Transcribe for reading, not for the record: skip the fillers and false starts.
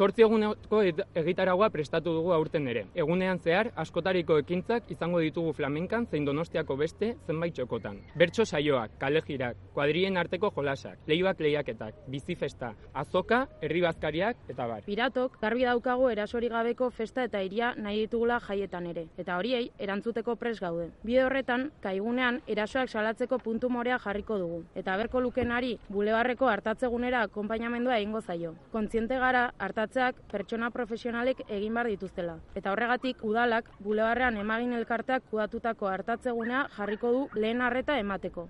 8 eguneko egitaragua prestatu dugu aurten ere. Egunean zehar, askotariko ekintzak izango ditugu flamenkan zein Donostiako beste zenbait txokotan. Bertso saioak, kalejirak, kuadrien arteko jolasak, leibak lehiaketak, bizifesta, azoka, herri bazkariak eta bar. Piratok garbi daukagu erasorik gabeko festa eta hiria nahi ditugula jaietan ere, eta horiei erantzuteko prest gaude. Bide horretan, kaigunean erasoak salatzeko puntu morea jarriko dugu, eta berko lukenari bulebarreko hartatzegunera akonpainamendua egingo zaio. Kontziente gara hartatzeak pertsona profesionalek egin behar dituztela. Eta horregatik udalak bulebarrean emagin elkarteak kudatutako hartatzegunea jarriko du lehen arreta emateko.